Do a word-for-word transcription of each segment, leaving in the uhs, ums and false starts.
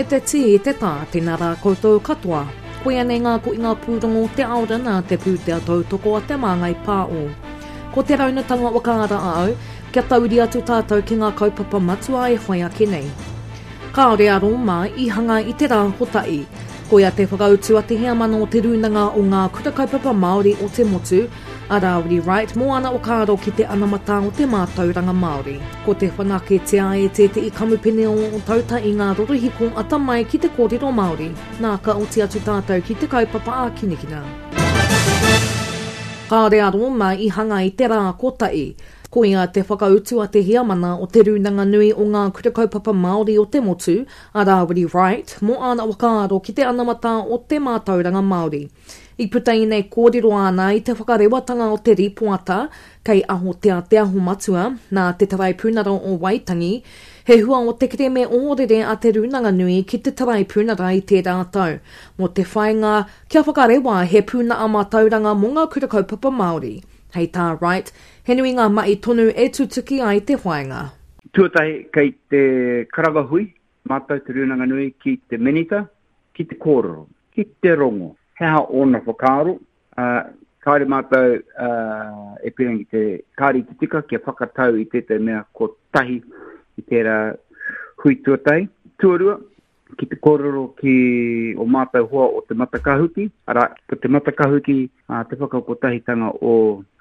E te tī, te tā, tēnā rā koutou katoa. Koia nei ngā koinga pūrongo o te aora nā te pūtea tautoko a Te Māngai Pāo. Ko te raunatanga whakaara a au, kia tauri atu tātou ki ngā kaupapa matua e whai ake nei. Kāore a Rōma i hanga i te rā kotahi. Koia te whakautu a te heamana o Te Rūnanga o Ngā Kura Kaupapa Māori o te Motu, a Rāwiri Wright, mō ana whakaaro ki te anamata o te mātauranga Māori. Ko te whanaketia e tētehi kamupene o Ōtauta i ngā rorohiko atamai ki te kōrero Māori. Nā, ka oti atu tātou ki te kaupapa ākinakina. Kāore a Rōma i hanga i te rā kotahi. Koia te whakautu a te heamana o Te Rūnanga Nui o Ngā Kura Kaupapa Māori o te Motu, a Rāwiri Wright, mō āna whakaaro ki te anamata o te mātauranga Māori. I puta ēnei kōrero āna i te whakarewatanga o te rīpoata kei Ahotea Te Aho Matua nā te Taraipunara o Waitangi, he hua o te kerēme ohorere a Te Rūnanga Nui ki te Taraipunara i tērā tau, mō te whāinga kia whakarewa he pūnaha mātauranga mō ngā kura kaupapa Māori. Hei tā Wright, he nui ngā mahi tonu e tutuki ai te whāinga. Tuatahi, kei te karanga hui mātou Te Rūnanga Nui ki te Minita, ki te kōrero, ki te rongo, he aha ōna whakaaro, ā, kāore mātou e pīrangi te, kāore i te tika kia whakatau i tētahi mea kotahi i tērā hui tuatahi. Tuarua, ki te kōrero ki o mātou hoa o Te Matakahuki, arā, ko Te Matakahuki te whakakotahitanga o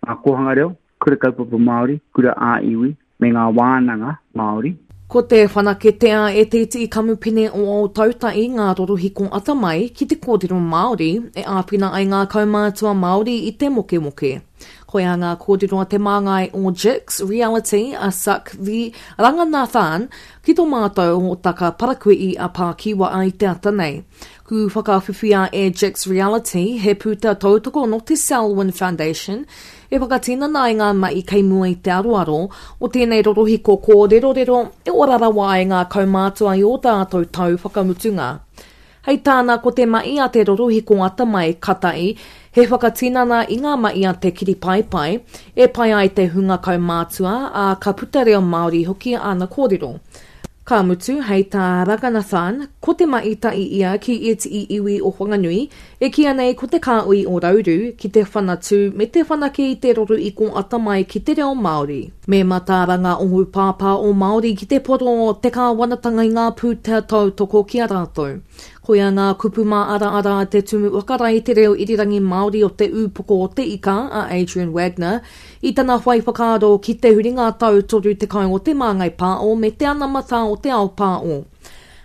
ngā kōhanga reo, kura kaupapa Māori, kura ā-iwi, me ngā wānanga Māori. Ko te whanaketea e te iti kamupene o Ōtautahi ngā rorohiko atamai ki te kōrero Māori e āwhina ai ngā kaumātua Māori i te mokemoke. Koia ngā kōrero a te māngai o Jix Reality a Sakvi Ranganathan ki tō mātou hōtaka parakuihi a Pākiwaa i te ata nei. Ku whakawhiwhia e Jix Reality he pūtea tautoko nō te Selwyn Foundation e whakatinana ai ngā mahi kei mua i te aroaro o tēnei rorohiko kōrerorero e ora rawa ai ngā kaumātua i ō rātou tau whakamutunga. Hei tāna ko te mahi a te rorohiko atamai katahi he whakatinana i ngā mahi a te kiripaepae e pai ai te hunga kaumātua, ā, ka puta reo Māori hoki āna kōrero. Ka mutu, hei tā Ranganathan, ko te mahi tahi ia ki ētehi iwi o Whanganui, e kīia nei ko te kāhui o Rauru, ki te whanatū me te whanake i te rorohiko atamai ki te reo Māori. Me mataara ngā ohu pāpā o Māori ki te poro o te kāwanatanga i ngā pūtea tautoko ki a rātou. Koia ngā kupu māaraara a te Tumu Whakarae i te Reo Irirangi Māori o Te Ūpoko o Te Ika, a Adrian Wagner, i tana whai whakaaro ki te huringa tau toru tekau o Te Māngai Pāo me te anamata o te ao pāo.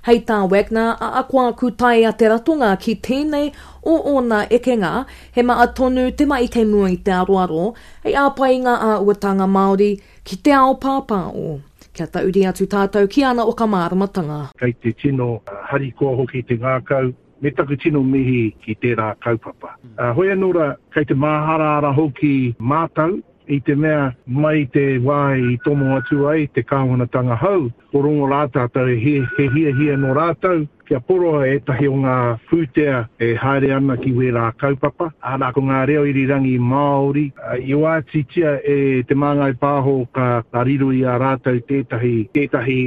Hei tā Wagner, ahakoa ku taea te ratonga ki tēnei o ōna ekenga, he maha tonu te mahi kei mua i te aroaro, hei āpai i ngā āhuatanga Māori ki te ao pāpāo. Kia tahuri atu tātou ki ana whakamāramatanga. Kei te tino harikoa hoki te ngākau, me taku tino mihi ki tērā kaupapa. Hoi anō rā, kei te māharahara hoki mātou i te mea mai te wā i tomo atu ai te kāwanatanga hou, ko rongo rā tātou he hiahia nō rātou kia poroa ētahi o ngā pūtea e haere ana ki wērā kaupapa, arā, ko ngā reo irirangi Māori, i oatitia e Te Māngai Pāho ka riro i a rātou tētahi, tētahi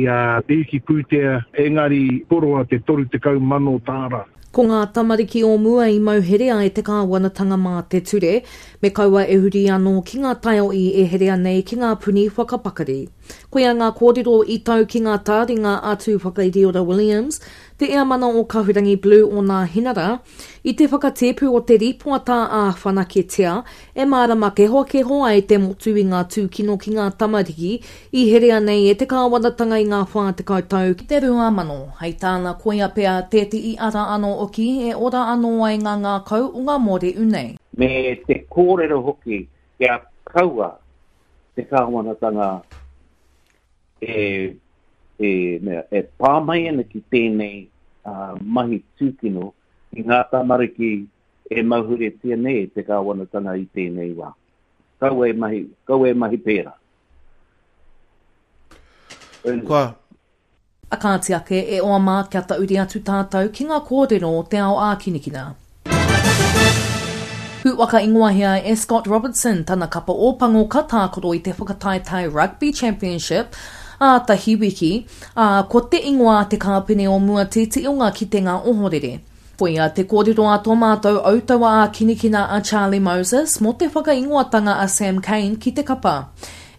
pīki pūtea, engari poroa te toru tekau mano tāra. Ko ngā tamariki o mua i mauherea e te kāwanatanga mā te ture, me kaua e huri anō ki ngā taiohi e herea nei ki ngā puni whakapakari. Koia ngā kōrero i tau ki ngā tāringa a Tūwhakairiora Williams, te eamana o Kahurangi Blue o Nāhinara, i te whakatēpu o te rīpoata ā-whanaketia e mārama kehokeho ai te motu i ngā tūkino ki ngā tamariki i herea nei e te kāwanatanga i ngā whā tekau tau ki te rua mano. Hei tāna koia pea tētehi ara anō hoki e ora anō ai ngā ngākau o ngā mōrehu nei. Me te kōrero hoki kia kaua te kāwanatanga e, e, mea, e pā mai ana ki tēnei uh, mahi tūkino i ngā tamariki e mauheretia nei e te kāwanatanga i tēnei wā. Kaua e mahi, kaua e mahi pērā. Kua. A kāti ake, e oa mā kia tahuri atu tātou ki ngā kōrero o te ao ākinikina. Ku whakaingoahia e Scott Robertson tana kapa Ōpango ka tākaro i te whakataetae Rugby Championship ā tahi wiki, ā, ko te ingoa a te kāpene o mua tētehi o ngā kitenga ohorere. Koia te kōrero a tō mātou autaua ā-kinikina a Charlie Moses mō te whakaingoatanga a Sam Cane ki te kapa.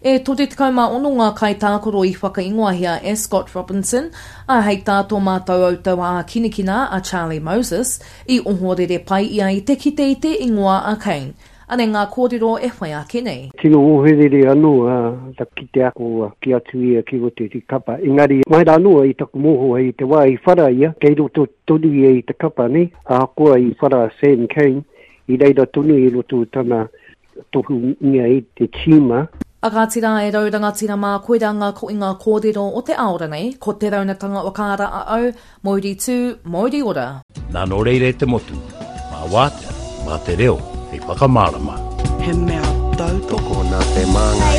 E toru tekau mā ono ngā kaitākaro i whakaingoahia e Scott Robinson, ā, hei tā tō mātou autaua ā-kinikina a Charlie Moses, i ohorere pai ia i te kite i te ingoa a Cane. Anei ngā kōrero e whai ake nei. Tino ohorere anō a kite ako ki atu ia ki roto i te kapa. Engari, mai rā noa i taku mōhio i te wā i whara ia, kei roto tonu ia i te kapa, nei. Ahakoa i whara Sam Cane, i reira tonu i roto tana tohungia i te tīma. A kāti rā e rau rangatira mā, koirā ngā koinga kōrero o te ao ranei, ko te raunatanga whakaara a au, mauri tū, mauri ora. Nā nō reira e te motu, mā wātea, mā te reo, hei whakamārama. He mea tautoko nā te māngai.